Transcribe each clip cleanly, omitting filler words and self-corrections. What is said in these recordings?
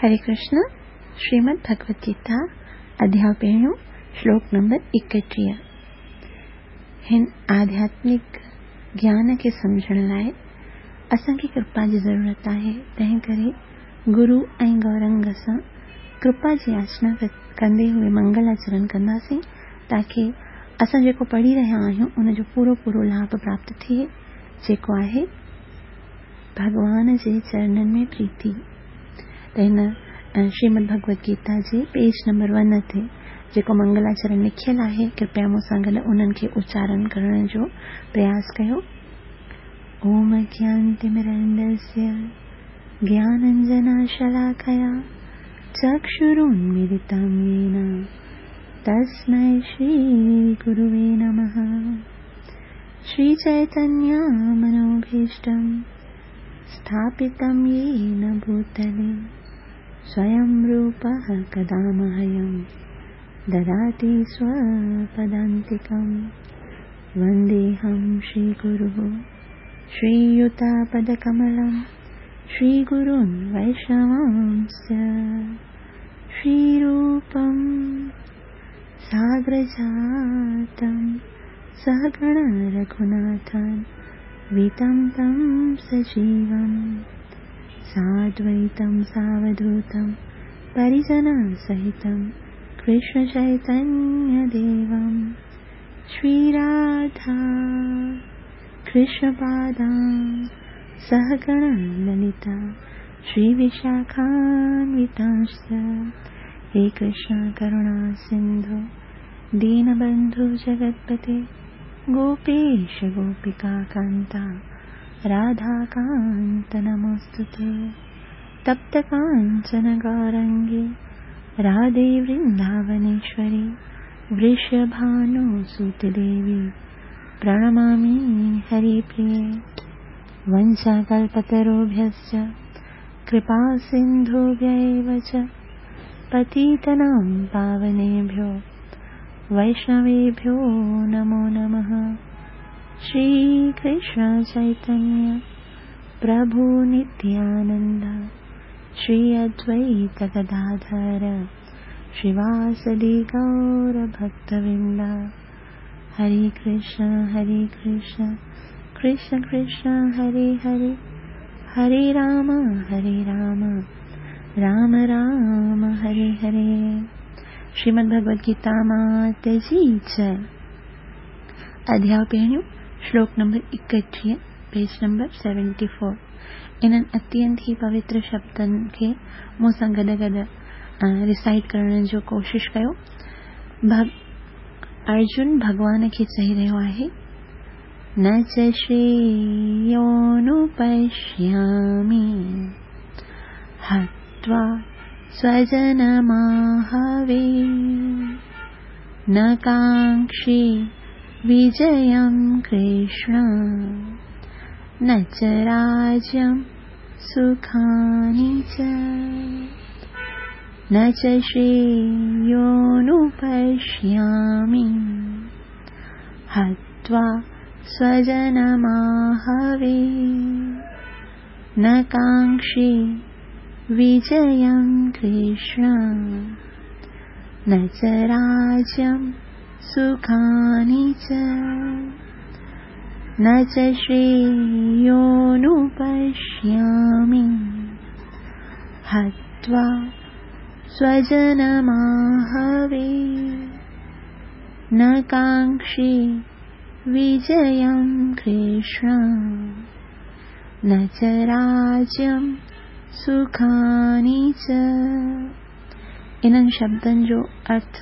हरे कृष्ण, श्रीमद् भगवद गीता अध्याय पहिरियों, श्लोक नंबर 31। हिन आध्यात्मिक ज्ञान खे सम्झण लाइ असांखे कृपा जी ज़रूरत आहे। तंहिं करे गुरू ऐं गौरंग सां कृपा जी याचना कंदे हुए मंगलाचरण कंदासीं, ताकी असां जेको पढ़ी रहिया आहियूं उनजो पूरो पूरो लाभ प्राप्त थिए, जेको आहे भॻवान जे चरणनि में प्रीति। त हिन श्रीमद् भगवद गीता जे पेज नंबर 1 ते जेको मंगलाचरण लिखियल आहे, कृपया मूंसां गॾु उन्हनि खे उच्चारण करण जो प्रयास कयो। ओम अज्ञानतिमिरन्दस्य ज्ञानाञ्जनशलाकया चक्षुरुन्मीलितं येन तस्मै श्रीगुरुवे नमः। श्रीचैतन्यमनोभीष्टं स्थापितं येन भूतले स्वयं रूपः कदा मह्यं ददाति स्वपदान्तिकं। वन्देऽहं श्रीगुरुः श्रीयुतापदकमलं श्रीगुरून् वैष्णवांश्च। श्रीरूपं साग्रजातं सहगण रघुनाथान् वितं तं सजीवं साद्वैतं सावधूतं परिजनसहितं कृष्णचैतन्यदेवं। श्रीराधा कृष्णपादां सहगण ललिता श्रीविशाखान्वितांश्च। हे कृष्ण करुणा सिन्धु दीनबन्धु जगत्पते गोपेश गोपिका कान्ता राधाकान्त नमोऽस्तु ते। तप्त काञ्चन गौरङ्गी राधे वृन्दावनेश्वरी वृषभानुसुते देवी प्रणमामि हरिप्रिये। वंशाकल्पतरुभ्यश्च कृपासिन्धुभ्य एव च पतितानां पावनेभ्यो वैष्णवेभ्यो नमो नमः। श्री कृष्ण चैतन्य प्रभु नित्यानंद श्री अद्वैत गदाधर श्रीवासदि गौर भक्तवृंद। हरे कृष्ण कृष्ण कृष्ण हरे हरे, हरे राम राम राम हरे हरे। श्रीमद् भगवद गीता मात जी जय। अध्याय पहिरियों, श्लोक number 31, page number 74। इन्हनि अत्यंत ई पवित्र शब्दनि खे मूंसां गॾु गॾु रिसाइट करण जो कोशिश कयो। अर्जुन भॻवान खे चई रहियो आहे, न च श्रेयोऽनुपश्यामि हत्वा स्वजनमाहवे न काङ्क्षे विजयं कृष्ण न च राज्यं सुखानि च। न च श्रेयोऽनुपश्यामि हत्वा स्वजनमाहवे न काङ्क्षे विजयं कृष्ण न च राज्यं सुखानि च। न च श्रेयोऽनुपश्यामि हत्वा स्वजनमाहवे न काङ्क्षे विजयं कृष्ण न च राज्यं सुखानि च। इन्हनि शब्दनि जो अर्थ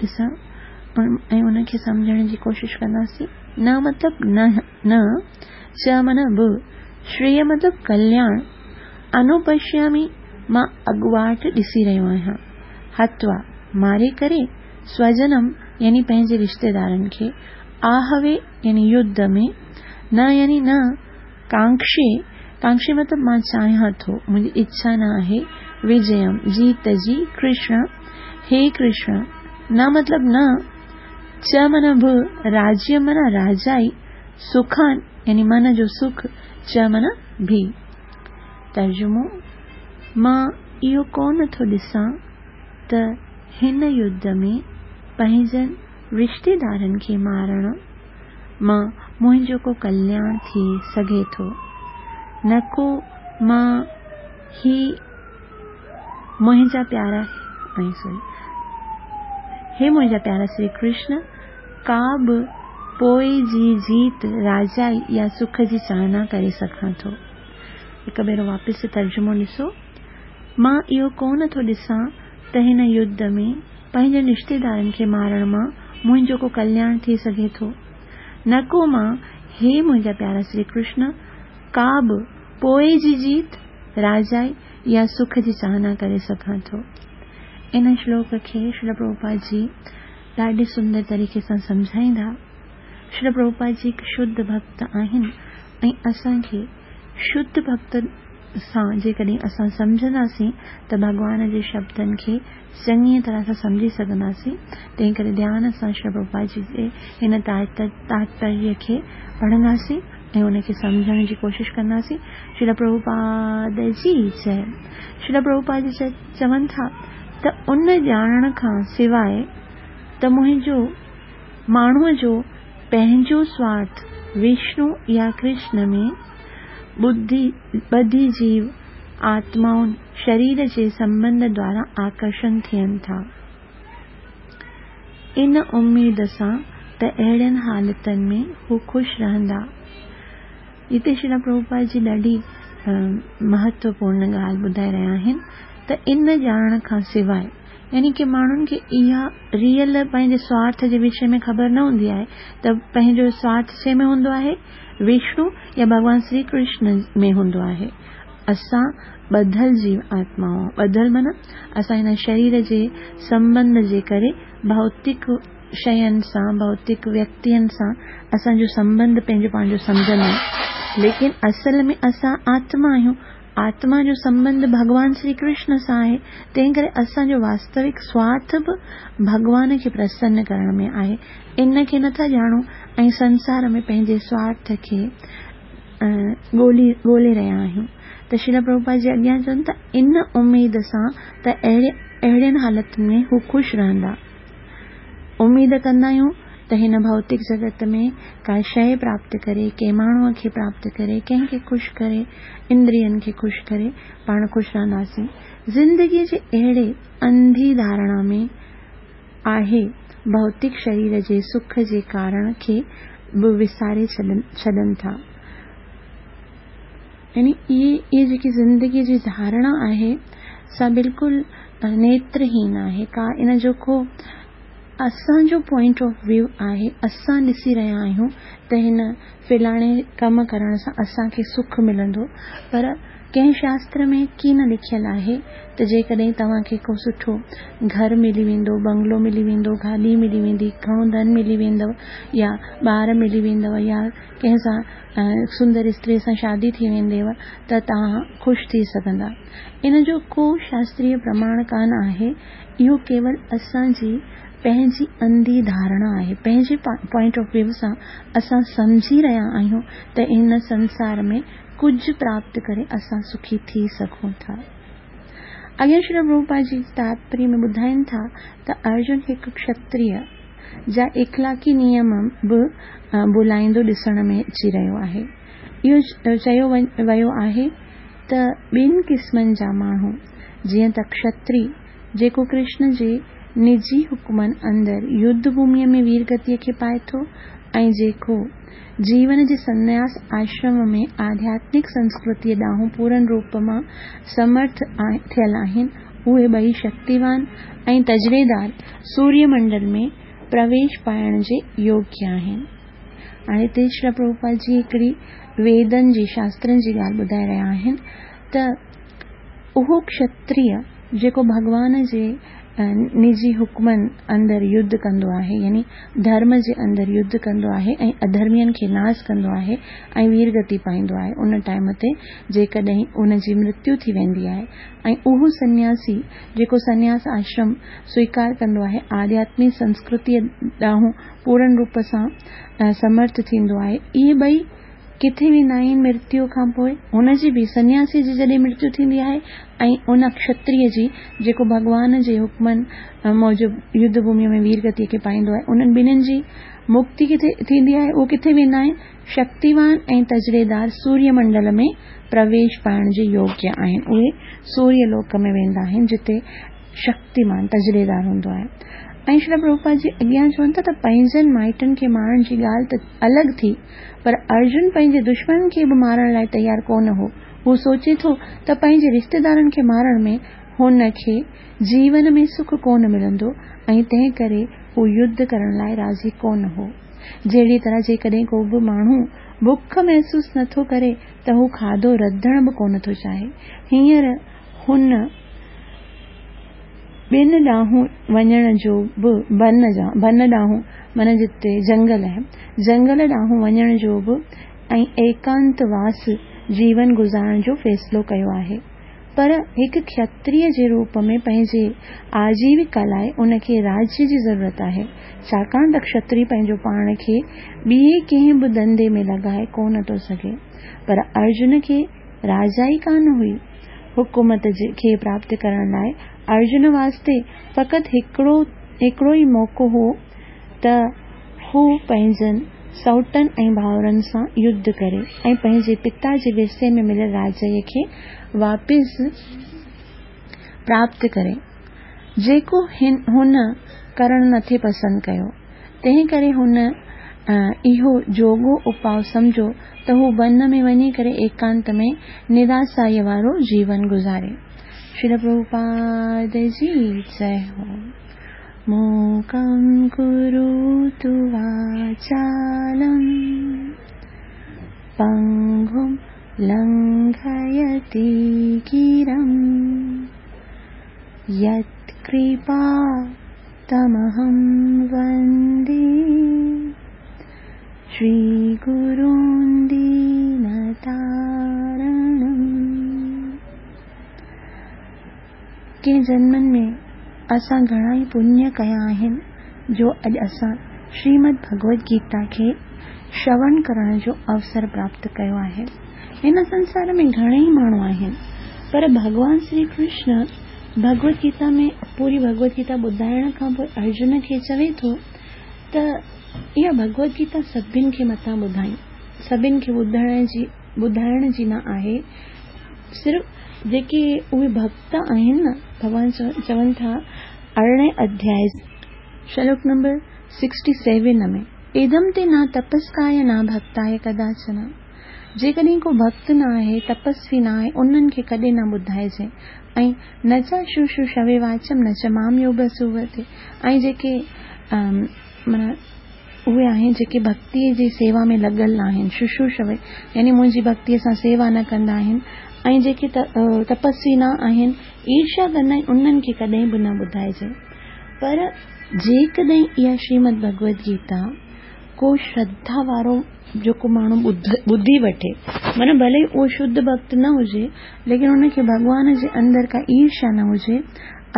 ॾिसण ऐं उनखे सम्झण जी कोशिश कंदासीं। न मतलब न, न च माना बि, श्रेय मतलब कल्याण, अनुपश्यामि मां अॻुवाट ॾिसी रहियो आहियां, हत्वा मारे करे, स्वजनम यानी पंहिंजे रिश्तेदारनि खे, आहवे यानी युद्ध में, न यानी न, कांक्षे, कांक्षे मतलब मां चाहियां थो, मुंहिंजी इच्छा न आहे, विजयम जीत जी, कृष्ण हे कृष्ण, न मतलब न, च माना बि, राज्य माना राजाई, सुखान यानी मन जो सुख, च माना भी। तर्जुमो, मां اهو ڪونه ٿو ڏسان ته هن يڌ ۾ پنهنجن رشتيدارن کي مارڻ مان منهنجو ڪو ڪلياڻ ٿي سگهي ٿو، نه ڪو مان هي منهنجا پيارا ۽ سوري هي منهنجا پيارا شري ڪرشن ڪا به پوء جي جيت راجائي يا سک جي چاهنا ڪري سگهان ٿو. هڪ ڀيرو واپس ترجمو ڏسو. مان اهو ڪونه ٿو ڏسان ته هن يڌ ۾ پنهنجن رشتيدارن کي مارڻ مان منهنجو ڪو ڪلياڻ ٿي سگهي ٿو. نه ڪو مان هي منهنجا پيارا شري ڪرشن ڪا به پوء جي جيت، راجائي يا سک جي چاهنا ڪري سگهان ٿو. ان شلوڪ کي شريل پرڀوپاد جي ڏاڍي سندر طريقي سان سمجهائيندا. شريل پرڀوپاد جي هڪ شڌ ڀڳت آهن ۽ اسان کي شڌ ڀڳت سان جيڪڏهن اسان سمجهنداسين ته ڀڳوان جي شبدن کي چڱيء طرح سان سمجهي سگهنداسين. تنهن ڪري ڌيان سان شريل پرڀوپاد جي جي هن تاتپريه کي پڙهنداسين ۽ ان کي سمجهڻ جي ڪوشش ڪنداسين. شريل پرڀوپاد جي جئه. شريل پرڀوپاد جي چون ٿا ته ان ڄاڻڻ کان سواء ته منهنجو ماڻهوء جو پنهنجو سوارٿ وشنو يا ڪرشن ۾ ٻڌي ٻڌي جيو آتمائن شرير جي سنٻنڌ دوارا آڪرشڻ ٿين ٿا. ان اميد سان ته اهڙين حالتن ۾ هو خوش رهندا. هتي شريلا پرڀوپاد جي ڏاڍي مهتوپورن ڳالهه ٻڌائي رهيا آهن ته ان ڄاڻڻ کان سواء يعني ڪي ماڻهن کي اها ريئل پنهنجي سوارٿ جي وشي ۾ خبر نه هوندي آهي ته پنهنجو سوارٿ ڇنهن ۾ هوندو آهي وشنو يا ڀڳوان شري ڪرشن ۾ هوندو آهي. اسان ٻڌل جيو آتمائون ٻڌل معنيٰ اسان هن شرير جي سنٻنڌ جي ڪري ڀوتڪ شين سان ڀوتڪ ويڪتين سان اسان جو سنٻنڌ پنهنجو پنهنجو سمجهندا آهيون ليڪن اصل ۾ اسان آتما آهيون آتما جو سنٻنڌ ڀڳوان شري ڪرشن سان آهي تنهن ڪري اسان جو واستوڪ سوارٿ به ڀڳوان کي پرسن ڪرڻ ۾ آهي ان کي نٿا ڄاڻون ۽ سنسار ۾ پنهنجي سوارٿ کي ڳولي ڳولي رهيا آهيون ته شريلا پرڀوپاد جي اڳيان چون ٿا ان اميد سان ته اهڙي اهڙين حالتن ۾ هو خوش رهندا. اميد ڪندا آهيون ته هن ڀوتڪ جڳت ۾ ڪا شيء پراپت ڪري، ڪنهن ماڻهوء کي پراپت ڪري، ڪنهن کي خوش ڪري، اندرين کي خوش ڪري پاڻ خوش رهنداسين. زندگيء جي اهڙي انڌي ڌارڻا ۾ آهي ڀوتڪ شرير جي سک جي ڪارڻ کي به وساري ڇڏن ٿا. يعني اهي اهي جيڪي زندگيء جي ڌارڻا آهي سا بلڪل نيترهين آهي ڪا ان جو ڪو اسان جو پوائنٽ آف ويو آهي اسان ڏسي رهيا آهيون ته هن فلاڻي ڪم ڪرڻ سان اسان کي سک ملندو پر ڪنهن شاستر ۾ ڪي نه لکيل آهي ته جيڪڏهن توهان کي ڪو سٺو گهر ملي ويندو، بنگلو ملي ويندو، گاڏي ملي ويندي، گهڻو ڌن ملي ويندو يا ٻار ملي ويندو يا ڪنهن سان سندر استري سان شادي ٿي وينديو ته توهان خوش ٿي سگهندا. ان جو ڪو شاستريه پرماڻ ڪانه آهي. اهو ڪيول اسان جي پنهنجي انڌي ڌارڻا آهي. پنهنجي پوائنٽ آف ويو سان اسان سمجهي رهيا آهيون ته هن سنسار ۾ ڪجهه پراپت ڪري اسان سکي ٿي سگهون ٿا. اڳيان شريل پرڀوپاد جي تاتپريه ۾ ٻڌائين ٿا ته ارجن هڪ ڪشتريه جا اخلاقي نيم به ڀلائيندو ڏسڻ ۾ اچي رهيو آهي. اهو چيو ويو آهي ته ٻن قسمن جا ماڻهو جيئن ته ڪشتري جيڪو ڪرشن جي نجي حڪمن اندر يڌ ڀوميء ۾ ويرگتيء کي پائي ٿو ۽ جيڪو جيون جي سنياس آشرم ۾ آڌياتمڪ سنسڪرتيء ڏانهن پورن روپ مان سمرٿ ٿيل آهن، اهي ٻئي شڪتيوان ۽ تجريدار سوريه منڊل ۾ پرويش پائڻ جي يوگيه آهن. هاڻي هتي شريلا پرڀوپاد جي هڪڙي ويدن جي شاسترن جي ڳالهه ٻڌائي رهيا آهن ته اهو ڪشتريه جيڪو ڀڳوان جي نجي حڪمن اندر يڌ ڪندو آهي يعني ڌرم جي اندر يڌ ڪندو آهي ۽ اڌرمين کي ناس ڪندو آهي ۽ ويرگتي پائيندو آهي ان ٽائيم تي جيڪڏهن ان جي مرتيو ٿي ويندي آهي ۽ اهو سنياسي جيڪو سنياس آشرم سويڪار ڪندو آهي آڌياتمي سنسڪرتيء ڏانهن پورن روپ سان سمرٿ ٿيندو آهي اهي ٻئي ڪٿي ويندا آهن مرتيو کان پوء؟ هن جي به، سنياسيء جي جڏهن مرتيو ٿيندي آهي ۽ ان کشتريه جي جيڪو ڀڳوان جي حڪمن موجب يڌ ڀوميء ۾ وير گتيء کي پائيندو آهي، انهن ٻنهين جي مڪتي ڪٿي ٿيندي آهي؟ اهي ڪٿي ويندا آهن؟ شڪتيوان ۽ تجريدار سوريه منڊل ۾ پرويش پائڻ جي يوگيه آهن. اهي سوريه لوڪ ۾ ويندا آهن، جتي شڪتيمان تجريدار هوندو آهي. ۽ شريل پرڀوپاد جي اڳيان چون ٿا ته پنهنجن مائٽن کي مارڻ جي ڳالهه ته الڳ ٿي، پر ارجن پنهنجي دشمنن کي به مارڻ لاء تيار ڪونه هو. هو سوچي ٿو ته پنهنجي رشتيدارن کي مارڻ ۾ هن کي جيون ۾ سک ڪونه ملندو ۽ تنهن ڪري هو يڌ ڪرڻ لاء راضي ڪونه هو. جهڙيء طرح جيڪڏهن ڪو به ماڻهو بک محسوس نه ٿو ڪري ته هو کاڌو رڌڻ به ڪونه ٿو چاهي. هينئر هن ٻن ڏانهن وڃڻ جو به بن بن ڏانهن معنيٰ جتي جنگل آهي، جنگل ڏانهن وڃڻ جو به ۽ ايڪانت واس جيون گذارڻ جو فيصلو ڪيو آهي. پر هڪ کشتريه جي روپ ۾ پنهنجي آجيوڪا لاء ان کي راجيه جي ضرورت آهي، ڇاڪاڻ ته کشتري پنهنجو پاڻ کي ٻئي ڪنهن به ڌنڌي ۾ لڳائي ڪونه ٿو سگهي. پر ارجن کي راجا ئي ڪانه هئي. حڪومت کي پراپت ڪرڻ لاء ارجن واسطي فقط هڪڙو هڪڙو ئي موقعو هو ته هو پنهنجن سئوٽن ۽ ڀائرن سان يڌ ڪري ۽ پنهنجي پتا جي ورثي ۾ مليل راجيه کي واپس پراپت ڪري، جيڪو هن ڪرڻ نٿي پسند ڪيو. تنهن ڪري هن اهو جوڳو اپاء سمجهيو ته هو بن ۾ وڃي ڪري ايڪانت ۾ نراسائيء وارو جيون گذاري. شريل پرڀوپاد جي جئه هو. موڪم ڪروتو واچالم پنگم لنگهيتي گرم يتڪرپا تمهم وندي شري گرون دينتارڻم. ڪنهن جنمن ۾ اسان گهڻا ئي پڃ ڪيا آهن جو اڄ اسان شريمد ڀڳوت گيتا کي شروڻ ڪرڻ جو اوسر پراپت ڪيو آهي. هن سنسار ۾ گهڻيئي ماڻهو آهن پر ڀڳوان شري ڪرشن ڀڳوت گيتا ۾ پوري ڀڳوت گيتا ٻڌائڻ کان پوء ارجن کي چوي ٿو ته اها ڀڳوت گيتا سڀن کي متان ٻڌائين، سڀن کي ٻڌڻ جي ٻڌائڻ جي نه آهي، صرف جيڪي اهي ڀڳت آهن نه، ڀڳوان چون ٿا ارڙهين اڌيائي، شلوڪ نمبر سڪسٽي سيون ۾، ادم تي نا تپسڪايه نا ڀڳتايه ڪداچن، جيڪڏهن ڪو ڀڳت نه آهي، تپسوي نه آهي، انهن کي ڪڏهن نه ٻڌائجي ۽ نه چا شو شو شوي واچم نه چ مام يوڀسووتي ۽ جيڪي معنيٰ اهي آهن جيڪي ڀڳتيء جي سيوا ۾ لڳل نه آهن، ششو شوي يعني منهنجي ڀڳتيء سان سيوا نه ڪندا آهن ۽ جيڪي تپسوي نه آهن، ايرشيا ڪندا آهن، انهن کي ڪڏهن به نه ٻڌائجي. پر جيڪڏهن اها شريمد ڀڳوت گيتا ڪو شرڌا وارو جيڪو ماڻهو ٻڌي وٺي، معنيٰ ڀلي اهو شڌ ڀڳت نه هجي، ليڪن ان کي ڀڳوان جي اندر ڪا ايرشيا نه هجي،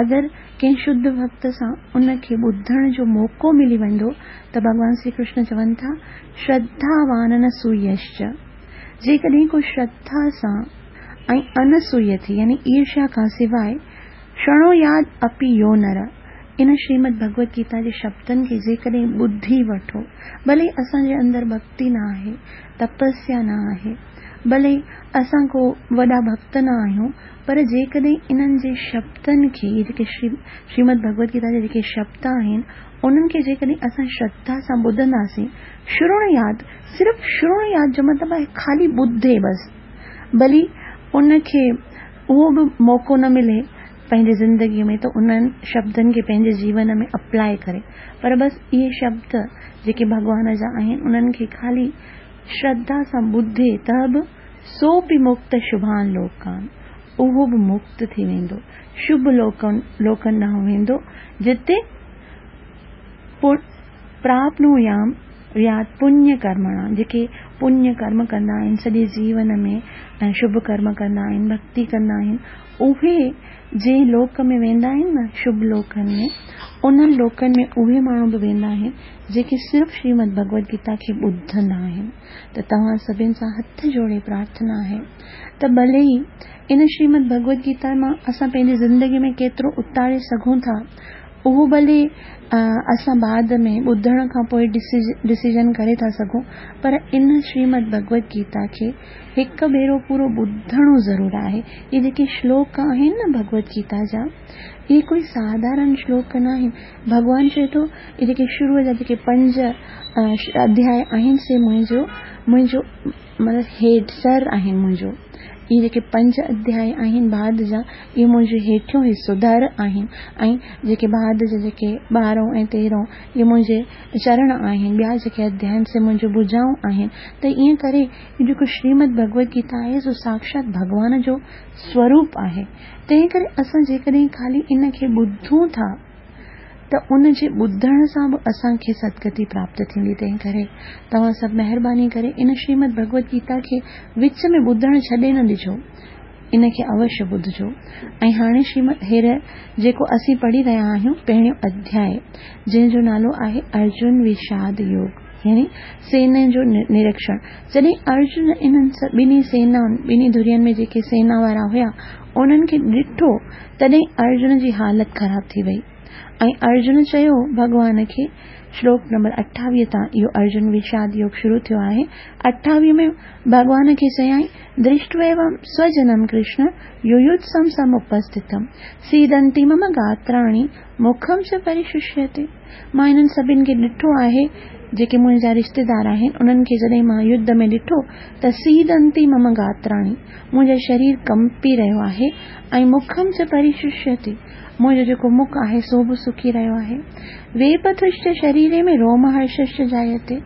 اگر ڪنهن شڌ ڀڳت سان ان کي ٻڌڻ جو موقعو ملي ويندو ته ڀڳوان شري ڪرشن چون ٿا، شرڌاوان انسويشچ، جيڪڏهن ڪو شرڌا سان ۽ انسويه ٿي يعني ايرشيا کان سواء شرڻوياد اپي يو نر، ان شريمد ڀڳوت گيتا جي شبدن کي جيڪڏهن ٻڌي وٺو، ڀلي اسان جي اندر ڀڳتي نه آهي، تپسيا نه آهي، ڀلي اسان ڪو وڏا ڀڳت نه آهيون، پر جيڪڏهن انهن جي شبدن کي، اهي جيڪي شريمد ڀڳوت گيتا جا جيڪي شبد آهن، انهن کي جيڪڏهن اسان شرڌا سان ٻڌنداسين، شرڻوياد، صرف شرڻوياد جو مطلب آهي خالي ٻڌي بس، ڀلي ان کي اهو به موقعو نه ملي پنهنجي زندگيء ۾ ته انهن شبدن کي پنهنجي جيون ۾ اپلاء ڪري پر بس اهي شبد جيڪي ڀڳوان جا آهن انهن کي خالي شرڌا سان ٻڌي ته به سو به مڪت شڀان لوڪان اهو به مڪت ٿي ويندو شڀ لوڪن لوڪن ڏانهن ويندو جتي پراپنويام ياد پڃ ڪرمڻا، جيڪي پڃ ڪرم ڪندا آهن، سڄي جيون ۾ ۽ شڀ ڪرم ڪندا آهن، ڀڳتي ڪندا آهن، اهي جنهن لوڪ ۾ ويندا آهن نه شڀ لوڪن ۾، انهن لوڪن ۾ اهي ماڻهو به ويندا آهن جيڪي صرف شريمد ڀڳوت گيتا کي ٻڌندا آهن. ته توهان سڀن سان هٿ جوڙي پرارٿنا آهي ته ڀلي ئي ان شريمد ڀڳوت گيتا مان اسان پنهنجي زندگي ۾ ڪيترو اتاري سگهون ٿا اهو ڀلي اسان بعد ۾ ٻڌڻ کان پوء ڊسيزن ڪري ٿا سگهون پر ان شريمد ڀڳوت گيتا کي هڪ ڀيرو پورو ٻڌڻو ضرور آهي. اهي جيڪي شلوڪ آهن نه ڀڳوت گيتا جا، اهي ڪوئي ساڌارڻ شلوڪ نه آهن. ڀڳوان چئي ٿو اهي جيڪي شروع جا جيڪي پنج اڌياء آهن سي منهنجو منهنجو مطلب هيٺ سر آهن منهنجو. اهي جيڪي پنج اڌياء آهن بعد جا اهي منهنجو هيٺيون حصو ڌر آهن ۽ جيڪي بعد جا جيڪي ٻارهون ۽ تيرهون اهي منهنجي چرڻ آهن، ٻيا جيڪي اڌياء آهن سي منهنجون ڀجائون آهن ته ائين ڪري هي جيڪو شريمد ڀڳوت گيتا آهي سو ساڪشات ڀڳوان جو سوروپ آهي، تنهن ڪري اسان جيڪڏهن خالي ان کي ٻڌون ٿا ته ان جي ٻڌڻ سان به اسان کي سدگتي پراپت ٿيندي، تنهن ڪري توهان سڀ مهرباني ڪري ان شريمد ڀڳوت گيتا کي وچ ۾ ٻڌڻ ڇڏي نه ڏجو. ان کي اوشيه ٻڌجو. ۽ هاڻي شريمد هير جيڪو اسين پڙهي رهيا آهيون پهريون اڌياء جنهن جو نالو آهي ارجن وشاد يوگ يعني سينن جو نريڪشڻ. جڏهن ارجن انهن ٻنهي سينائن، ٻنهي ڌرين ۾ جيڪي سينا وارا هيا، انهن کي ڏٺو تڏهن ارجن جي حالت خراب ٿي وئي ۽ ارجن چيو ڀڳوان کي شلوڪ نمبر 28 تان اهو ارجن وشاد يوگ شروع ٿيو آهي 28 ۾ ڀڳوان کي چيائين درشٽويوم سوجنم ڪرشن يويوتسم سمپسٿتم سيدنتي مم گاتراڻي مکم چ پريششيتي مان انهن سڀن کي ڏٺو آهي جيڪي منهنجا رشتيدار آهن انهن کي جڏهن مان يڌ ۾ ڏٺو ته سيدنتي مم گاتراڻي منهنجو شرير ڪنپي رهيو آهي ۽ مکم چ پريششيتي منهنجو جيڪو مک آهي سو به سڪي رهيو آهي. ويپٿشچ شريري ۾ روم هرششچ جايتي،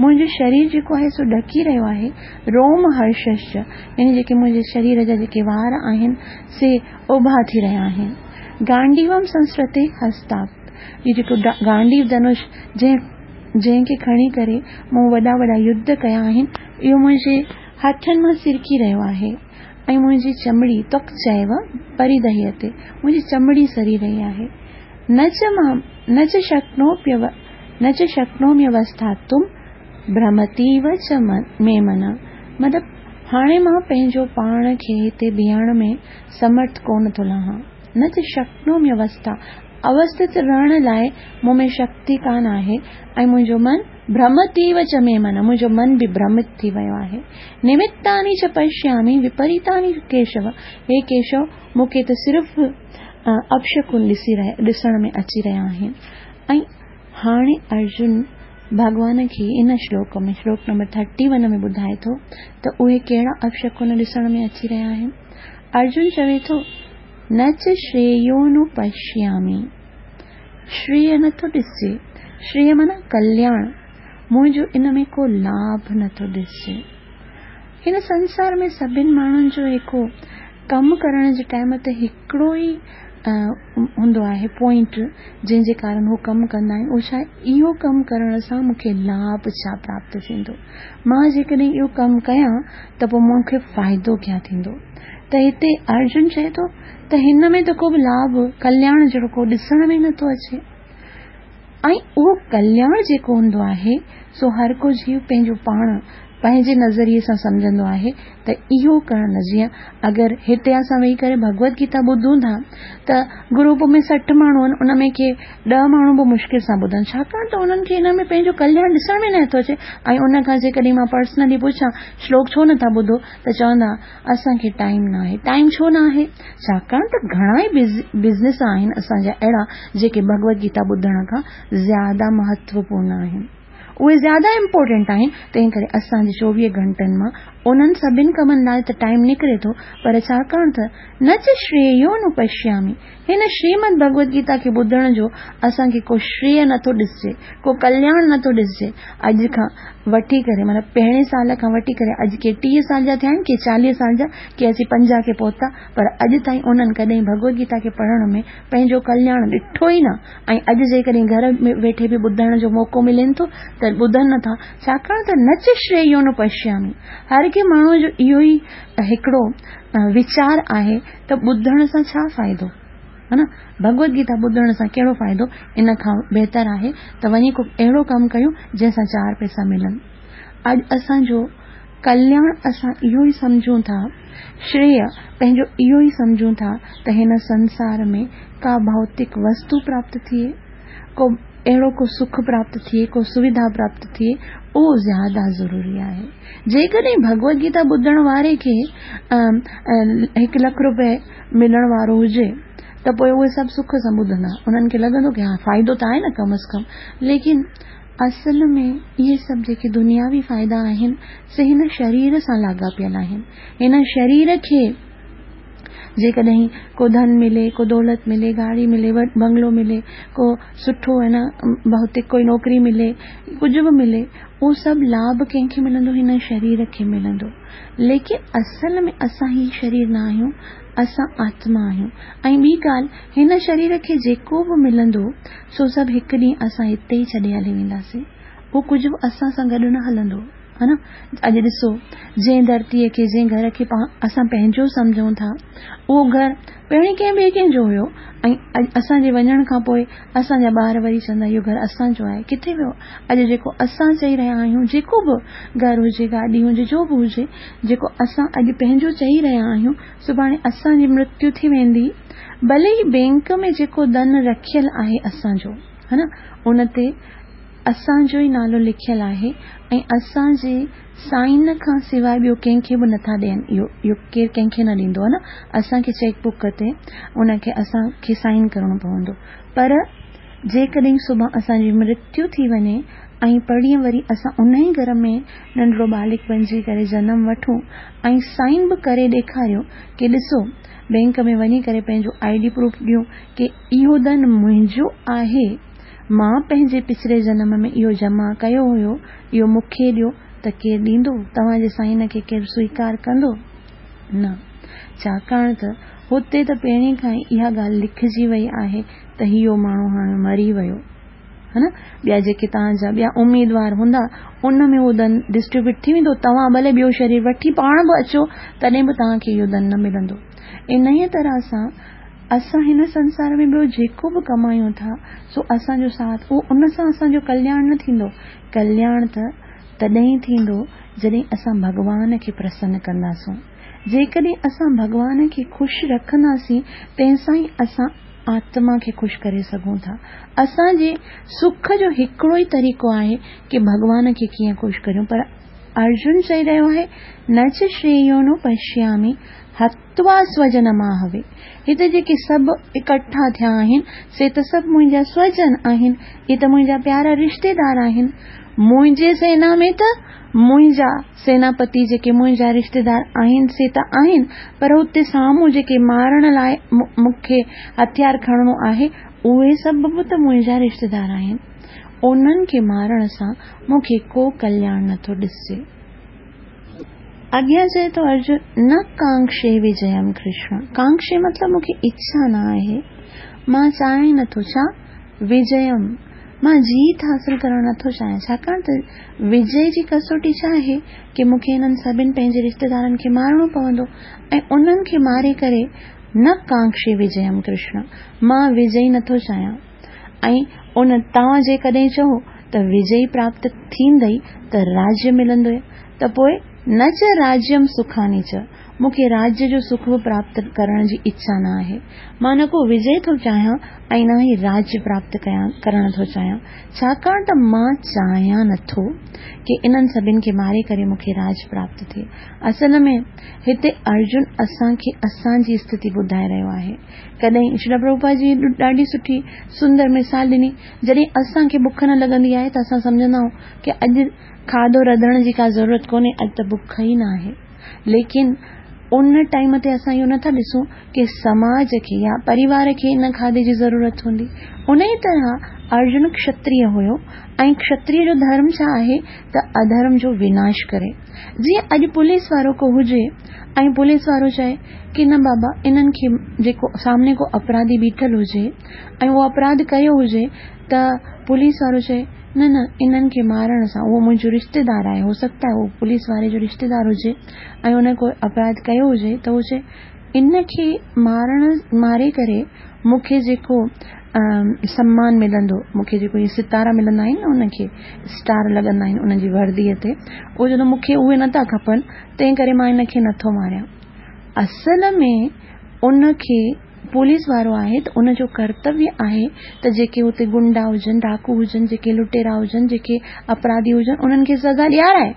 منهنجو شرير جيڪو آهي سو ڏڪي رهيو آهي، روم هرششچ يعني جيڪي منهنجي شرير جا جيڪي وار آهن سي اڀا ٿي رهيا آهن. گانڊيوم سنسرتي هستات، هي جيڪو گانڊيو ڌنش جنهن جنهن کي کڻي ڪري مون وڏا وڏا يڌ ڪيا آهن اهو منهنجي هٿن مان سرڪي رهيو آهي. ۽ منهنجي چمڙي تک چيو پريدهيتي، منهنجي چمڙي سري رهي آهي. نه چ مان نه چ شڪنوپيو نه چ شڪنوميوسٿاتم ڀرمتيو چ مي من مطلب هاڻي مان پنهنجو پاڻ کي هتي بيهڻ ۾ سمرٿ ڪونه ٿو لهان. نه چ شڪنوميوسٿا اوسٿت رهڻ لاء مون ۾ شڪتي ڪانه آهي ۽ منهنجو من ڀرمتيو چ مي من منهنجو من به ڀرمت ٿي ويو آهي. نمتاني چ پشيامي وپريتاني ڪيشو هي ڪيشو مون کي ته صرف اپشڪن ڏسي ڏسڻ ۾ اچي رهيا آهن. ۽ هاڻي ارجن ڀڳوان کي ان شلوڪ ۾ شلوڪ نمبر ٿرٽي ون ۾ ٻڌائي ٿو ته اهي ڪهڙا اپشڪن ڏسڻ ۾ اچي رهيا آهن. ارجن چوي ٿو نه چ شريونوپشيامي شريه نٿو ڏسجي. شريه معنيٰ ڪلياڻ. منهنجو ان ۾ ڪو لاڀ نٿو ڏسجي. هن سنسار ۾ سڀن ماڻهن جو هڪ ڪم ڪرڻ جي ٽائيم تي هڪڙو ئي هوندو آهي پوائنٽ جنهن جي ڪارڻ هو ڪم ڪندا آهن اهو ڇا آهي اهو ڪم ڪرڻ سان مون کي لاڀ ڇا پراپت ٿيندو مان جيڪڏهن اهو ڪم ڪيان ته پوء مون کي فائدو ڪيا ٿيندو ته هتي ارجن چئي ٿو ته هن ۾ ته ڪو به لاڀ، ڪلياڻ جهڙو ڪو ڏسڻ ۾ نٿو اچي ۽ اهو ڪلياڻ جيڪو هوندو آهي سو هر ڪو جيو پنهنجو پاڻ پنهنجي نظريي سان سمجهندو آهي ته اهو ڪرڻ جيئن اگر هتي اسان ويهي ڪري ڀڳوت گيتا ٻڌون ٿا ته گروپ ۾ 60 ماڻهو آهن ان ۾ ڪي 10 ماڻهو به مشڪل سان ٻڌن ڇاڪاڻ ته انهن کي ان ۾ پنهنجو ڪلياڻ ڏسڻ ۾ نٿو اچي ۽ ان کان جيڪڏهن مان پرسنلي پڇان شلوڪ ڇو نٿا ٻڌو ته چوندا اسان کي ٽائيم ناهي. ٽائيم ڇو ناهي؟ ڇاڪاڻ ته گهڻا ئي بزنس آهن اسان جا اهڙا جيڪي ڀڳوت گيتا ٻڌڻ کان زياده مهتوپورن آهن. اهي زياده امپورٽنٽ آهن تنهن ڪري اسان جي 24 گهنٽن مان انهن سڀن ڪمن لاء ته ٽائيم نڪري ٿو پر ڇاڪاڻ ته نه چ شريو نو پشيامي هن شريمد ڀڳوت گيتا کي ٻڌڻ جو اسان کي ڪو شريه نٿو ڏسجي، ڪو ڪلياڻ نٿو ڏسجي. اڄ کان وٺي ڪري مطلب پهرين سال کان وٺي ڪري اڄ ڪي 30 سال جا ٿيا آهن، ڪي 40 سال جا، ڪي اچي 50 کي پهتا، پر اڄ تائين انهن ڪڏهن ڀڳوت گيتا کي پڙهڻ ۾ پنهنجو ڪلياڻ ڏٺو ئي نه ۽ اڄ جيڪڏهن گهر ۾ ويٺي به ٻڌڻ جو موقعو ملين ٿو ته ٻڌن نٿا، ڇاڪاڻ ته نه چ شريو نه پشيامي. هر ڪنهن ماڻهوء جو اهو ئي هڪڙو ويچار آهي ته ٻڌڻ سان ڇا فائدو؟ ها نه؟ ڀڳوت گيتا ٻڌڻ سان ڪهڙو فائدو؟ ان کان بهتر آهي ته وڃي ڪو اهڙو ڪم ڪيون جنهن سان چار پئسا ملن. اڄ اسان جو ڪلياڻ اسان اهو ئي سمجهون ٿا، شريه پنهنجو اهو ئي سمجهون ٿا ته هن سنسار ۾ ڪا ڀوتڪ وستو پراپت ٿئي، ڪو اهڙو ڪو سک پراپت ٿئي، ڪو سويڌا پراپت ٿئي، اهو زياده ضروري آهي. جيڪڏهن ڀڳوت گيتا ٻڌڻ واري کي هڪ لک روپيه ملڻ وارو هجي ته پوء اهي سڀ سک سان ٻڌندا، انهن کي لڳندو ڪه ها فائدو ته آهي نه ڪم از ڪم. ليڪن اصل ۾ اهي سڀ جيڪي دنياوي فائدا آهن سي هن شرير سان لاڳاپيل آهن. هن شرير کي جيڪڏهن ڪو ڌن ملي، ڪو دولت ملي، گاڏي ملي، بنگلو ملي، ڪو سٺو ۽ نه ڀوتڪ ڪوئي نوڪري ملي، ڪجهه به ملي، اهو سڀ لاڀ ڪنهن کي ملندو؟ هن شرير کي ملندو. ليڪن اصل ۾ اسان هي شرير نه آهيون، اسان آتما آهيون. ۽ ٻي ڳالهه، هن شرير کي جيڪو به ملندو، سو سڀ هڪ ڏينهن اسان هتي ئي ڇڏي هلي وينداسين. اهو ڪجهه به اسان سان گڏ نه هلندو. ها نه؟ اڄ ڏسو، جنهن ڌرتيء کي، جنهن گهر کي اسان پنهنجو سمجهون ٿا، اهو گهر پهرين ڪنهن ٻئي ڪنهن جو هيو ۽ اڄ اسان جي وڃڻ کان پوء اسان جا ٻار وري چوندا اهو گهر اسان جو آهي، ڪٿي ويو؟ اڄ جيڪو اسان چئي رهيا آهيون، جيڪو به گهر هجي، گاڏي هجي، جو به هجي، جيڪو اسان اڄ پنهنجو چئي رهيا آهيون، سڀاڻي اسان جي مرتيو ٿي ويندي، ڀلي ئي بينڪ ۾ جيڪو ڌن رکيل آهي اسان جو، ها نه، ان تي اسان جو ئي نالو لکيل آهي ۽ اسان جي سائن کان سواء ٻيو ڪنهن کي به نٿا ڏين اهو اهو ڪير ڪنهن کي نه ڏيندو آهي نه اسان کي چيڪ بڪ تي ان کي اسان کي سائن ڪرڻو پوندو پر جيڪڏهن سڀان اسان جي مرتيو ٿي وڃي ۽ پرينء وري اسان ان ئي گهر ۾ ننڍڙو ٻالڪ بنجي ڪري جنم وٺون ۽ سائن به ڪري ڏيکاريون ڪي ڏسو بينڪ ۾ وڃي ڪري پنهنجو I D proof ڏيون ڪي اهو ڌن منهنجو آهي مان پنهنجي پڇلي جنم ۾ اهو جمع ڪيو هيو، اهو مون کي ڏيو ته ڪير ڏيندو؟ توهان جي سائن کي ڪير سويڪار ڪندو؟ نه. ڇاڪاڻ ته هتي ته پهرين کان ئي اها ڳالهه لکجي وئي آهي ته اهو ماڻهو هاڻي مري ويو. ها نه؟ ٻيا جيڪي توهان جا ٻيا اميدوار هوندا، ان ۾ اهو ڌن ڊسٽريبيوٽ ٿي ويندو. توهان ڀلي ٻيو شرير وٺي پاڻ به اچو، تڏهن به توهان کي اهو ڌن نه ملندو. انهيء طرح سان اسان هن سنسار ۾ ٻيو جيڪو به ڪمايون ٿا، سو اسان جو ساٿ، اهو ان سان اسان جو ڪلياڻ نه ٿيندو. ڪلياڻ ته تڏهن ٿيندو، جڏهن اسان ڀڳوان کي پرسن ڪنداسون. جيڪڏهن اسان ڀڳوان کي خوش رکنداسين، تنهن سان ئي اسان آتما کي خوش ڪري سگهون ٿا. اسان جي سک جو هڪڙو ئي طريقو آهي ڪي ڀڳوان کي ڪيئن خوش ڪريون. پر ارجن چئي رهيو آهي، نه چ شرييو پشيامي هت توا سوجن ماهوي، هتي جيڪي سڀ اڪٺا ٿيا آهن، سي ته سڀ منهنجا سوجن آهن، اهي ته منهنجا پيارا رشتيدار آهن. منهنجي سينا ۾ ته منهنجا سيناپتي جيڪي منهنجا رشتيدار آهن، سي ته آهن، پر اتي سامهون جيڪي مارڻ لاء مون کي هٿيار کڻڻو آهي، اهي سڀ به ته منهنجا رشتيدار آهن. انهن کي مارڻ سان مون کي ڪو ڪلياڻ نٿو ڏسجي. اڳيان چئي ٿو ارجن، نه ڪانڪشي وجيم ڪرشن، ڪانڪشي مطلب مون کي اڇا نه آهي، مان چاهيان ئي نٿو، ڇا؟ وجيم، مان جيت حاصل ڪرڻ نٿو چاهيان، ڇاڪاڻ ته وجي جي ڪسوٽي ڇا آهي ڪي مون کي هنن سڀن پنهنجي رشتيدارن کي مارڻو پوندو ۽ انهن کي ماري ڪري نه ڪانڪشي وجيم ڪرشن، مان وجي نٿو چاهيان. ۽ ان توهان جيڪڏهن چئو ته وجئي پراپت ٿيندئي ته راجيه ملندوئي ته پوء نه چ راجيم سکاني چ، مون کي راجيه جو سک به پراپت ڪرڻ جي اڇا نه آهي. مان نه ڪو وجئي ٿو چاهيان ۽ نه ئي راجيه پراپت ڪرڻ ٿو چاهيان، ڇاڪاڻ ته مان چاهيان نه ٿو ڪي انهن سڀن کي ماري ڪري مون کي راج پراپت ٿئي. اصل ۾ هتي ارجن اسان کي اسان جي اسٿتي ٻڌائي رهيو آهي. ڪڏهن شريلا پرڀوپاد جي ڏاڍي سٺي سندر مثال ڏني، جڏهن اسان کي بک نه لڳندي آهي ته اسان سمجهندا آهيون ڪي اڄ کاڌو رڌڻ جي ڪا ضرورت ڪونهي، اڄ ته بک ئي نه آهي. ليڪن ان ٽائيم تي اسان اهو نٿا ڏسون ڪي سماج کي يا پريوار کي ان کاڌي جي ضرورت هوندي. انهي طرح ارجن کشتريه هيو ۽ کشتريه جو ڌرم ڇا آهي ته اڌرم جو وناش ڪري. جيئن اڄ پوليس وارو ڪو هجي ۽ پوليس وارو چئي ڪي نه بابا انهن کي جيڪو سامني ڪو اپراڌي بيٺل هجي ۽ اهو اپراڌ ڪيو هجي ته پوليس وارو چئي نه نه انهن کي مارڻ سان اهو منهنجو رشتيدار آهي هو سگهتا آهي اهو پوليس واري جو رشتيدار هجي ۽ ان ڪو اپراڌ ڪيو هجي ته هو چئي ان کي مارڻ ماري ڪري مون کي جيڪو سمان ملندو، مون کي جيڪو اهي ستارا ملندا آهن نه ان کي اسٽار لڳندا آهن ان جي ورديء تي، اهو چوندو مون کي اهي نٿا کپن، تنهن ڪري مان ان کي نٿو ماريان. اصل ۾ ان کي پوليس وارو آهي ته ان جو ڪرتويه آهي ته جيڪي اتي گنڊا هجن، ڊاڪو هجن، جيڪي لٽيرا هجن، جيڪي اپراڌي هجن، انهن کي سزا ڏيارائي.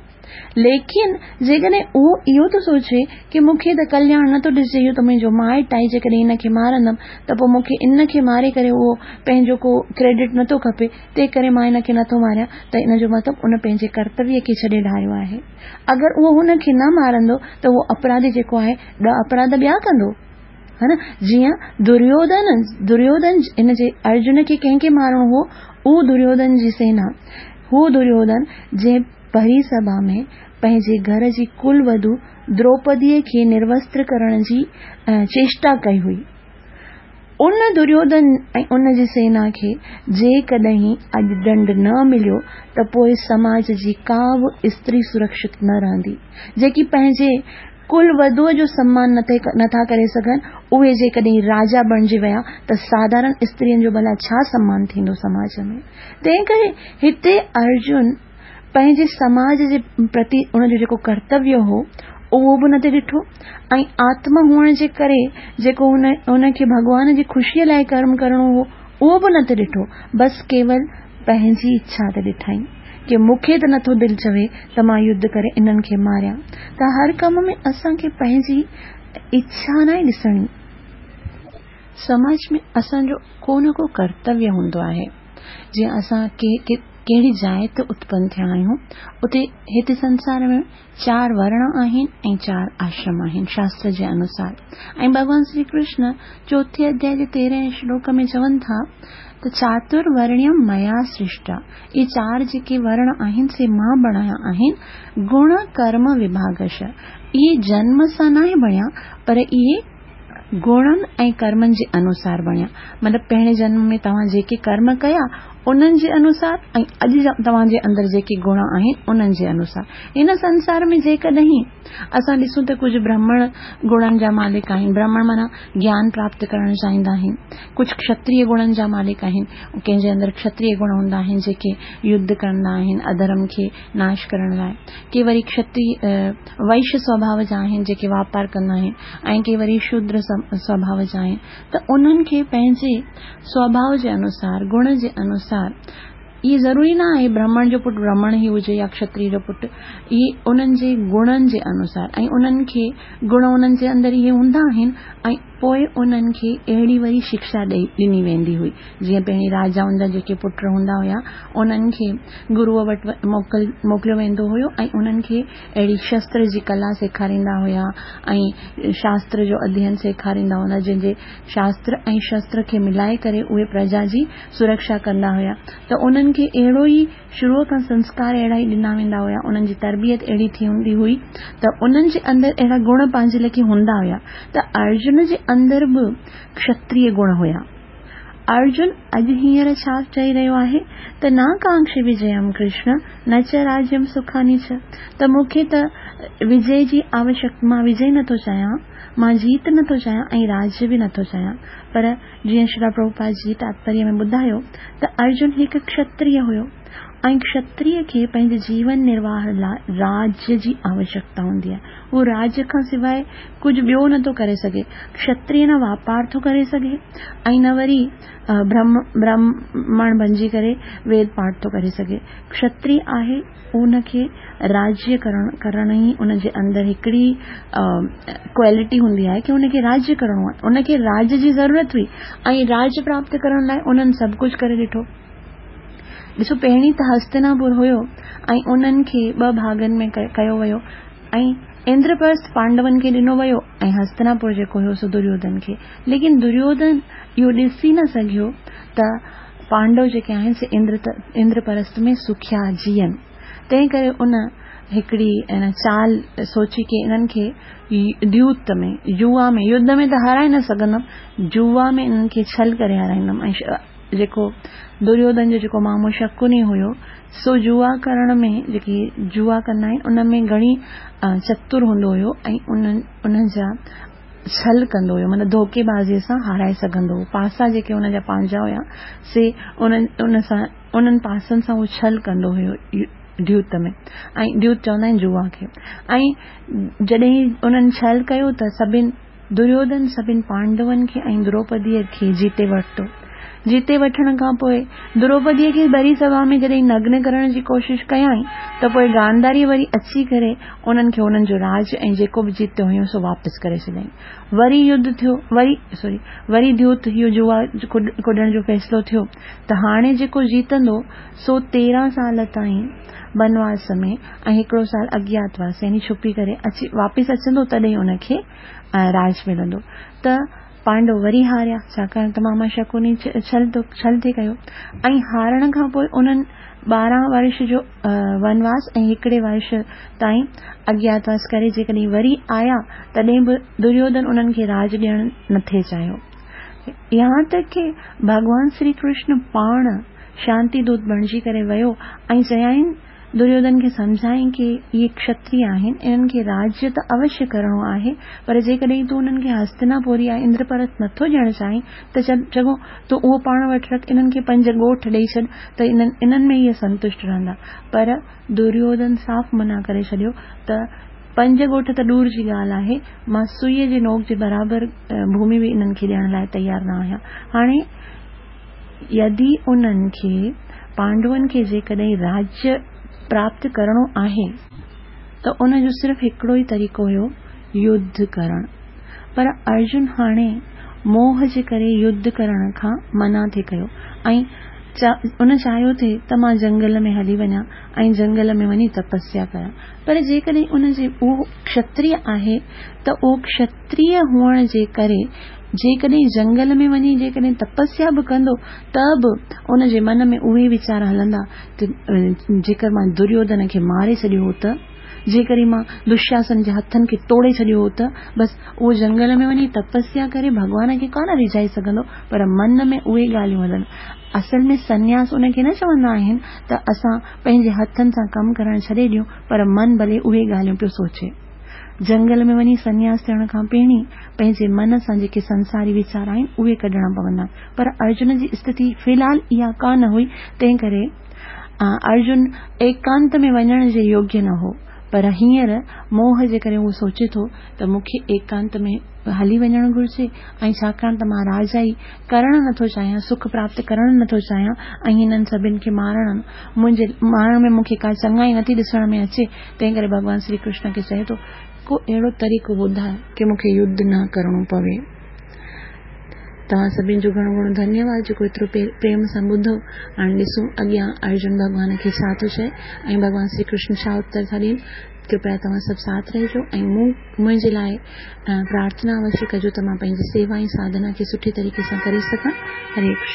ليڪن جيڪڏهن اهو اهو ٿو سوچي ڪي مون کي ته ڪلياڻ نه ٿو ڏسجي اهو ته منهنجو مائٽ آهي جيڪڏهن هن کي مارندم ته پوء مون کي ان کي ماري ڪري اهو پنهنجو ڪو ڪريڊٽ نه ٿو کپي تنهن ڪري مان هن کي نه ٿو ماريان ته ان جو مطلب ان پنهنجي ڪرتويه کي ڇڏي ڍاريو آهي. اگر اهو هن کي نه مارندو ته اهو اپراڌي جيڪو آهي ڏه اپراڌ ٻيا ڪندو. ها نه جيئن دريوڌن دريوڌن هن جي ارجن کي ڪنهن کي مارڻو هو اهو دريوڌن جي سينا هو دريوڌن جنهن ڀري سڀا ۾ پنهنجي گهر جي ڪل وڌو دروپديء کي نروستر ڪرڻ جي چيشٽا ڪئي هئي. ان دريوڌن ۽ ان جي سينا کي جيڪڏهن اڄ ڏنڊ نه مليو ته پوء سماج جي ڪا به استري سرڪشت نه رهندي. جيڪي پنهنجي ڪل وڌوء جو سمان نه ٿا ڪري سگهن، اهي جيڪڏهن راجا بڻجي ويا ته ساڌارڻ استرين جو ڀلا ڇا سمان ٿيندو سماج ۾؟ تنهنڪري هتي ارجن پنهنجي سماج جي پرتي ان جو جيڪو ڪرتويه هو، اهو به نه ٿي ڏٺو ۽ آتما هئڻ جي ڪري جيڪو هن هن کي ڀڳوان جي خوشيء لاء ڪرم ڪرڻو هو، اهو به نه ٿي ڏٺو، بس ڪيول پنهنجي اڇا تي ڏٺائين. ڪي مون کي ته نٿو دل چوي ته مان يڌ ڪري انهن کي ماريان ته هر ڪم ۾ اسان کي پنهنجي اڇا ناهي ڏسڻي. سماج ۾ اسان جو ڪو نه ڪو ڪرتويه هوندو آهي. جيئن اسان ڪهڙي جاء تي اتپن ٿيا آهيون اتي هتي سنسار ۾ چار ورڻ آهن ۽ چار آشرم آهن شاستر جي انوسار ۽ ڀڳوان شري ڪرشن چوٿين اڌيائي جي تيرهين شلوڪ ۾ چون ٿا ته چاتر ورڻيم ميا سرشٽا اهي چار جيڪي ورڻ آهن سي مان بڻايا آهن گڻ ڪرم وڀاگش اهي جنم سان ناهي بڻيا پر اهي گڻن ۽ ڪرمن جي انوسار بڻيا. مطلب پهرين جنم ۾ توهان جيڪي ڪرم ڪيا، انهن جي انوسار ۽ اڄ توهان جي اندر جيڪي گڻ آهن، انهن جي انوسار. هن سنسار ۾ جيڪڏهن اسان ڏسون ته ڪجهه برهمڻ گڻن جا مالڪ آهن، برهمڻ معنيٰ گيان پراپت ڪرڻ چاهيندا آهن. ڪجهه کشتريه گڻن جا مالڪ آهن، ڪنهن جي اندر کشتريه گڻ هوندا آهن، جيڪي يڌ ڪندا آهن اڌرم کي ناش ڪرڻ لاء. ڪي وري کشتريه وئش سوڀاء جا آهن، جيڪي واپار ڪندا آهن. ۽ ڪي وري شودر سوڀاء جا آهن ته انهن کي پنهنجي سوڀاء جي انوسار، گڻ جي انوسار، اهي ضروري نه آهي برهمڻ جو پٽ برهمڻ ئي هجي يا کشتري جو پٽ، اهي انهن جي گڻن جي انوسار ۽ انهن کي گڻ انهن جي اندر اهي هوندا آهن ۽ پوء انهن کي اهڙي وري شڪشا ڏئي ڏني ويندي هئي جيئن پهرين راجائن جا جيڪي پٽ هوندا هيا انهن کي گروء وٽ موڪل موڪليو ويندو هيو ۽ انهن کي اهڙي شستر جي ڪلا سيکاريندا هيا ۽ شاستر جو اڌين سيکاريندا هوندا جنهن جي شاستر ۽ شستر کي ملائي ڪري اهي پرجا جي سرڪشا ڪندا هيا ته انهن کي اهڙو ئي شروع کان سنسڪار اهڙا ئي ڏنا ويندا هيا انهن جي تربيت اهڙي ٿيندي هئي ته انهن جي اندر اهڙا گڻ پنهنجي ليکي هوندا هيا ته ارجن جي اندر به کشتريه گڻ هيا. ارجن اڄ هينئر ڇا چئي رهيو آهي ته نا ڪانڪشي وجيم ڪرشن نه چ راجيم سکاني چ ته مون کي ته وجي جي آوشڪ مان وجي نٿو چاهيان مان جيت نٿو چاهيان ۽ راجيه به نٿو چاهيان پر جيئن شريلا پرڀوپاد جي تاتپريه ۾ ٻڌايو ته ارجن هڪ کشتريه هيو ۽ کشتريه کي پنهنجي جيون نرواهه لاء راجيه جي آوشڪتا هوندي آهي. هو راجيه کان سواء ڪجهه ٻيو نه ٿو ڪري سگهي. کشتريه نه واپار ٿو ڪري سگهي ۽ نه وري برهمڻ بنجي ڪري ويد پاٺ ٿو ڪري سگهي. کشتريه آهي ان کي راجيه ڪرڻ ڪرڻ ئي ان جي اندر هڪڙي ڪوالٽي هوندي آهي ڪي ان کي راجيه ڪرڻو آهي. ان کي راجيه جي ضرورت هئي ۽ راجيه پراپت ڪرڻ لاء انهن سڀ ڪجهه ڪري ڏٺو. ڏسو پهرين ته هستناپور هيو ۽ انهن کي ٻه ڀاڳن ۾ ڪيو ويو ۽ اندرپرسٿ پانڊون کي ڏنو ويو ۽ هستناپور جيڪو هيو سو دريوڌن کي ليڪن دريوڌن اهو ڏسي نه سگهيو ته پانڊو جيڪي آهن سي اندرپرسٿ ۾ سکيا جيئن تنهن ڪري ان هڪڙي ان چال سوچي ڪي انهن کي ديوت ۾ جوا ۾ يڌ ۾ ته هارائي نه سگهندم جوا ۾ انهن کي ڇل ڪري هارائيندم ۽ جيڪو دريوڌن جو جيڪو مامو شڪني هيو سو جوا ڪرڻ ۾ جيڪي جوا ڪندا آهن ان ۾ گهڻي چتر هوندو هيو ۽ انهن انهن جا ڇل ڪندو هيو مطلب ڌوڪيبازيء سان هارائي سگهندو هو. پاسا جيڪي هن جا پنهنجا هيا سي انهن ان سان انهن پاسن سان هو ڇل ڪندو هيو ديوت ۾ ۽ ديوت چوندا آهن جوا کي ۽ جڏهن انهن ڇل ڪيو ته سڀن دريوڌن سڀن پانڊون کي ۽ دروپديء کي جيتي ورتو. جيتي وٺڻ کان پوء دروپديء کي ڀري سڀا ۾ جڏهن نگن ڪرڻ جي ڪوشش ڪيائين ته پوء گانڌاري وري اچي ڪري انهن کي انهن جو راڄ ۽ جيڪو به جيتيو هيون سو واپس ڪري ڇڏيائين. وري يڌ ٿيو، وري سوري وري ديوت اهو جوا ڪڏڻ جو فيصلو ٿيو ته هاڻي جيڪو جيتندو سو 13 سال تائين بنواس ۾ ۽ هڪڙو سال اگياتواس يعني ڇپي ڪري اچي واپس اچندو تڏهن ان کي راڄ ملندو ته پانڊو وري هاريا، ڇاڪاڻ ته ماما شڪوني ڇل ڇل ٿي ڪيو ۽ هارڻ کان پوء انهن 12 ورش جو ونواس ۽ هڪڙي ورش تائين اگياتواس ڪري جيڪڏهن وري آيا تڏهن به دريوڌن انهن کي راڄ ڏيڻ نٿي چاهيو. يهان تڪ ڪي ڀڳوان شري ڪرشن پاڻ شانتي دوت بڻجي ڪري ويو ۽ چيائين دريوڌن کي سمجهائين ڪي اهي کشتري آهن، انهن کي راجيه ته اوشيه ڪرڻو آهي، پر جيڪڏهن تون انهن کي هستناپور يا اندرپرسٿ نٿو ڏيڻ چاهين ته چڱو، تون اهو پاڻ وٽ رک، انهن کي پنج ڳوٺ ڏيئي ڇڏ ته انهن ۾ اهي سنتشٽ رهندا. پر دريوڌن صاف منع ڪري ڇڏيو ته پنج ڳوٺ ته ڏور جي ڳالهه آهي، مان سوئيء جي نوڪ جي برابر ڀومي به انهن کي ڏيڻ لاء تيار نه آهيان. هاڻي. يدي انهن کي، پانڊون کي، جيڪڏهن راجيه پراپت ڪرڻو آهي ته ان جو صرف هڪڙو ئي طريقو هيو يڌ ڪرڻ. پر ارجن هاڻي موهه جي ڪري يڌ ڪرڻ کان منع ٿي ڪيو ۽ ان چاهيو ٿي ته مان جنگل ۾ هلي وڃان ۽ جنگل ۾ وڃي تپسيا ڪريان. پر جيڪڏهن ان جي اهو کشتريه آهي ته اهو کشتريه هئڻ جي ڪري جيڪڏهن جنگل ۾ وڃي جيڪڏهن تپسيا به ڪندو ته به ان جي من ۾ اهي ويچار هلندا ته جيڪر مان دريوڌن کي ماري ڇڏيو هو ته، جيڪڏهن مان دشاسن جي هٿن کي ٽوڙي ڇڏيو هو ته، بس اهو جنگل ۾ وڃي تپسيا ڪري ڀڳوان کي ڪانه ريجهائي سگهندو پر من ۾ اهي ڳالهيون هلن. اصل ۾ سنياس ان کي نه چوندا آهن ته اسان پنهنجي هٿن سان ڪم ڪرڻ ڇڏي ڏيون پر من ڀلي اهي ڳالهيون پيو سوچي. جنگل ۾ وڃي سنياس ٿيڻ کان پهرين پنهنجي من سان جيڪي سنساري ويچار آهن اهي ڪڍڻا پوندا. پر ارجن جي استٿي في الحال اها ڪا نه هئي تنهن ڪري ارجن ايڪانت ۾ وڃڻ جي يوگيه نه هو. پر هينئر موهه جي ڪري هو سوچي ٿو ته مون کي ايڪانت ۾ هلي وڃڻ گهرجي ۽ ڇاڪاڻ ته مان راجائي ڪرڻ نه ٿو چاهيان، سک پراپت ڪرڻ نه ٿو چاهيان ۽ هنن سڀن کي مارڻ منهنجي مارڻ ۾ مون کي ڪا چڱائي نه ٿي ڏسڻ ۾ اچي، تنهن ڪري ڀڳوان شري ڪرشن کي چئي ٿو، ڪو اهڙو طريقو ٻڌاء ڪي مون کي يڌ نه ڪرڻو پوي. توهان سڀن جو گهڻو گهڻو ڌنيواد جيڪو ايترو پريم سان ٻڌو. هاڻي ڏسون اڳيان ارجن ڀڳوان کي ڇا ٿو چئي ۽ ڀڳوان شري ڪرشن ڇا اتر ٿا ڏين. ڪرپيا توهان سڀ ساٿ رهجو ۽ مون منهنجي لاء پرارٿنا اوشيه ڪجو ته مان پنهنجي سيوا ۽ ساڌنا کي سٺي طريقي سان ڪري سگهان. هري ڪرشن.